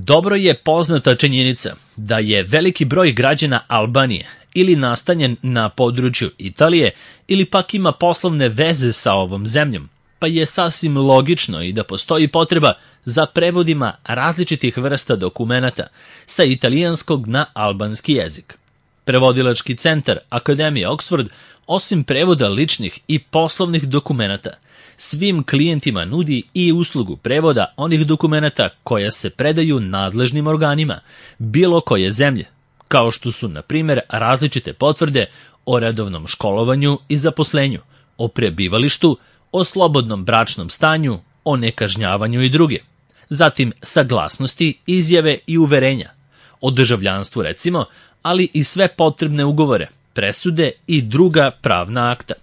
Dobro je poznata činjenica da je veliki broj građana Albanije ili nastanjen na području Italije ili pak ima poslovne veze sa ovom zemljom, pa je sasvim logično i da postoji potreba za prevodima različitih vrsta dokumenata sa italijanskog na albanski jezik. Prevodilački centar Akademije Oxford, osim prevoda ličnih i poslovnih dokumenata, svim klijentima nudi i uslugu prevoda onih dokumenata koja se predaju nadležnim organima bilo koje zemlje, kao što su, na primjer, različite potvrde o redovnom školovanju i zaposlenju, o prebivalištu, o slobodnom bračnom stanju, o nekažnjavanju i druge. Zatim saglasnosti, izjave i uverenja, o državljanstvu recimo, ali i sve potrebne ugovore, presude i druga pravna akta.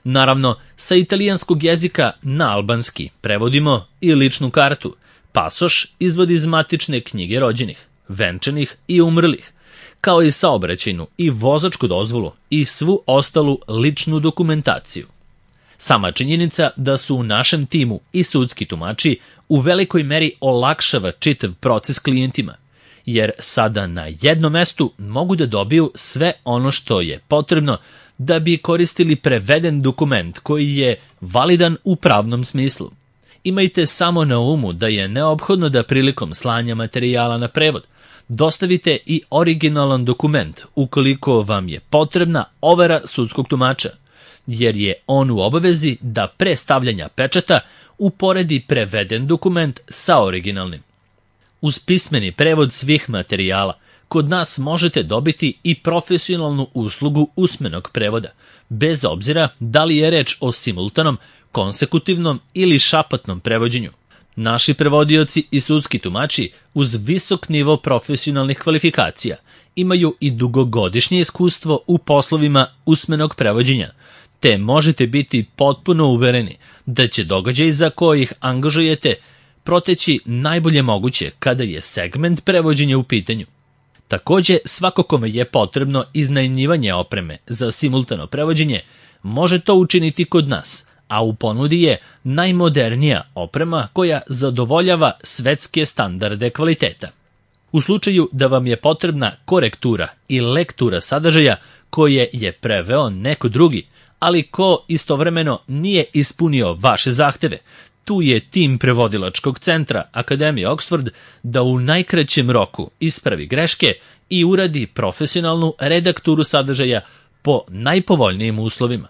Naravno, sa italijanskog jezika na albanski prevodimo i ličnu kartu, pasoš, izvod iz matične knjige rođenih, venčanih i umrlih, kao i saobraćajnu i vozačku dozvolu i svu ostalu ličnu dokumentaciju. Sama činjenica da su u našem timu i sudski tumači u velikoj meri olakšava čitav proces klijentima, jer sada na jednom mestu mogu da dobiju sve ono što je potrebno da bi koristili preveden dokument koji je validan u pravnom smislu. Imajte samo na umu da je neophodno da prilikom slanja materijala na prevod dostavite i originalan dokument ukoliko vam je potrebna overa sudskog tumača, jer je on u obavezi da pre stavljanja pečata uporedi preveden dokument sa originalnim. Uz pismeni prevod svih materijala, kod nas možete dobiti i profesionalnu uslugu usmenog prevoda, bez obzira da li je reč o simultanom, konsekutivnom ili šapatnom prevođenju. Naši prevodioci i sudski tumači uz visok nivo profesionalnih kvalifikacija imaju i dugogodišnje iskustvo u poslovima usmenog prevođenja, te možete biti potpuno uvereni da će događaj za koje ih angažujete proteći najbolje moguće kada je segment prevođenja u pitanju. Takođe, svako kome je potrebno iznajmljivanje opreme za simultano prevođenje može to učiniti kod nas, a u ponudi je najmodernija oprema koja zadovoljava svetske standarde kvaliteta. U slučaju da vam je potrebna korektura i lektura sadržaja koje je preveo neko drugi, ali ko istovremeno nije ispunio vaše zahteve, tu je tim prevodilačkog centra Akademije Oxford da u najkraćem roku ispravi greške i uradi profesionalnu redakturu sadržaja po najpovoljnijim uslovima.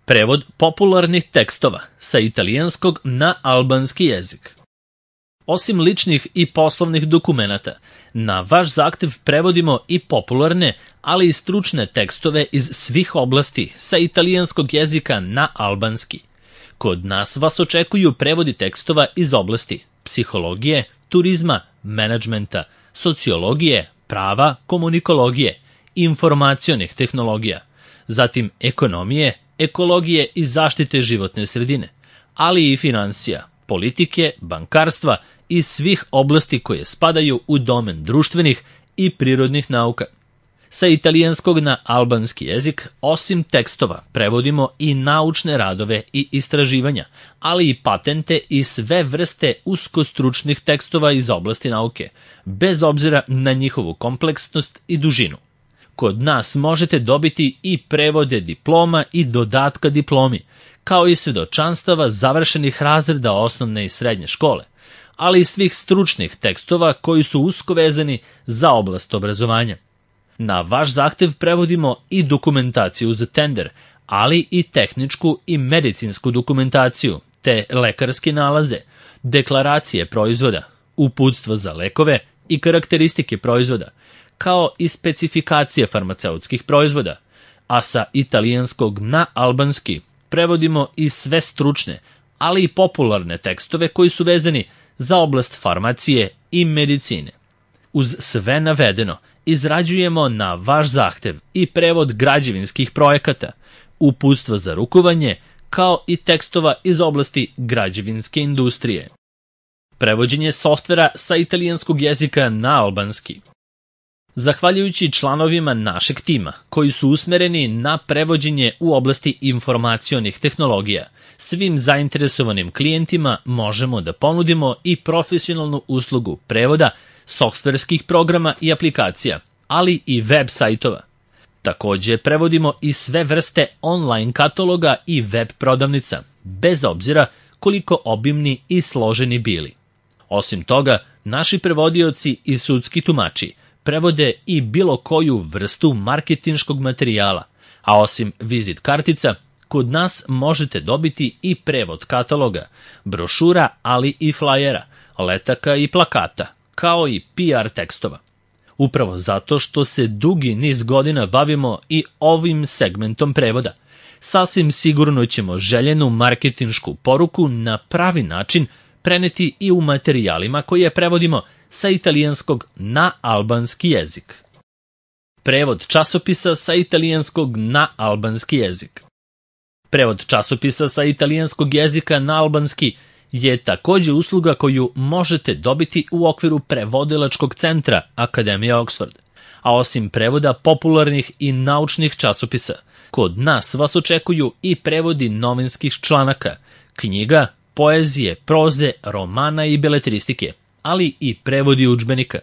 Prevod popularnih tekstova sa italijanskog na albanski jezik. Osim ličnih i poslovnih dokumenata, na vaš zahtev prevodimo i popularne, ali i stručne tekstove iz svih oblasti sa italijanskog jezika na albanski. Kod nas vas očekuju prevodi tekstova iz oblasti psihologije, turizma, menadžmenta, sociologije, prava, komunikologije, informacionih tehnologija, zatim ekonomije, ekologije i zaštite životne sredine, ali i finansija, politike, bankarstva i svih oblasti koje spadaju u domen društvenih i prirodnih nauka. Sa italijanskog na albanski jezik, osim tekstova, prevodimo i naučne radove i istraživanja, ali i patente i sve vrste uskostručnih tekstova iz oblasti nauke, bez obzira na njihovu kompleksnost i dužinu. Kod nas možete dobiti i prevode diploma i dodatka diplomi, kao i svedočanstava završenih razreda osnovne i srednje škole, ali i svih stručnih tekstova koji su usko vezani za oblast obrazovanja. Na vaš zahtev prevodimo i dokumentaciju za tender, ali i tehničku i medicinsku dokumentaciju, te lekarske nalaze, deklaracije proizvoda, uputstva za lekove i karakteristike proizvoda, kao i specifikacije farmaceutskih proizvoda, a sa italijanskog na albanski prevodimo i sve stručne, ali i popularne tekstove koji su vezani za oblast farmacije i medicine. Uz sve navedeno, izrađujemo na vaš zahtev i prevod građevinskih projekata, uputstva za rukovanje, kao i tekstova iz oblasti građevinske industrije. Prevođenje softvera sa italijanskog jezika na albanski. Zahvaljujući članovima našeg tima, koji su usmereni na prevođenje u oblasti informacionih tehnologija, svim zainteresovanim klijentima možemo da ponudimo i profesionalnu uslugu prevoda, softverskih programa i aplikacija, ali i web sajtova. Takođe, prevodimo i sve vrste online kataloga i web prodavnica, bez obzira koliko obimni i složeni bili. Osim toga, naši prevodioci i sudski tumači prevode i bilo koju vrstu marketinškog materijala, a osim vizit kartica, kod nas možete dobiti i prevod kataloga, brošura, ali i flajera, letaka i plakata, kao i PR tekstova. Upravo zato što se dugi niz godina bavimo i ovim segmentom prevoda, sasvim sigurno ćemo željenu marketinšku poruku na pravi način preneti i u materijalima koje prevodimo sa italijanskog na albanski jezik. Prevod časopisa sa italijanskog na albanski jezik. Prevod časopisa sa italijanskog jezika na albanski je takođe usluga koju možete dobiti u okviru prevodilačkog centra Akademije Oxford. A osim prevoda popularnih i naučnih časopisa, kod nas vas očekuju i prevodi novinskih članaka, knjiga, poezije, proze, romana i beletristike, ali i prevodi udžbenika.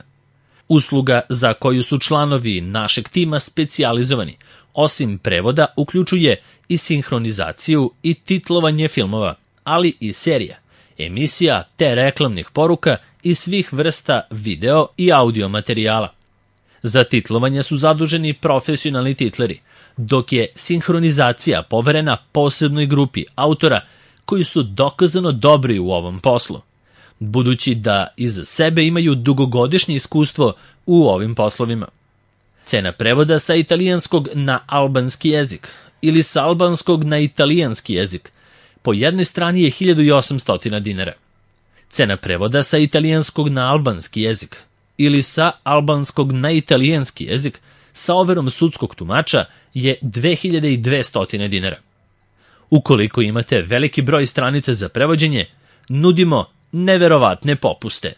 Usluga za koju su članovi našeg tima specijalizovani, osim prevoda, uključuje i sinhronizaciju i titlovanje filmova, ali i serija, emisija te reklamnih poruka i svih vrsta video i audio materijala. Za titlovanje su zaduženi profesionalni titleri, dok je sinhronizacija poverena posebnoj grupi autora koji su dokazano dobri u ovom poslu, budući da iza sebe imaju dugogodišnje iskustvo u ovim poslovima. Cena prevoda sa italijanskog na albanski jezik ili sa albanskog na italijanski jezik po jednoj strani je 1800 dinara. Cena prevoda sa italijanskog na albanski jezik ili sa albanskog na italijanski jezik sa overom sudskog tumača je 2200 dinara. Ukoliko imate veliki broj stranica za prevođenje, nudimo neverovatne popuste.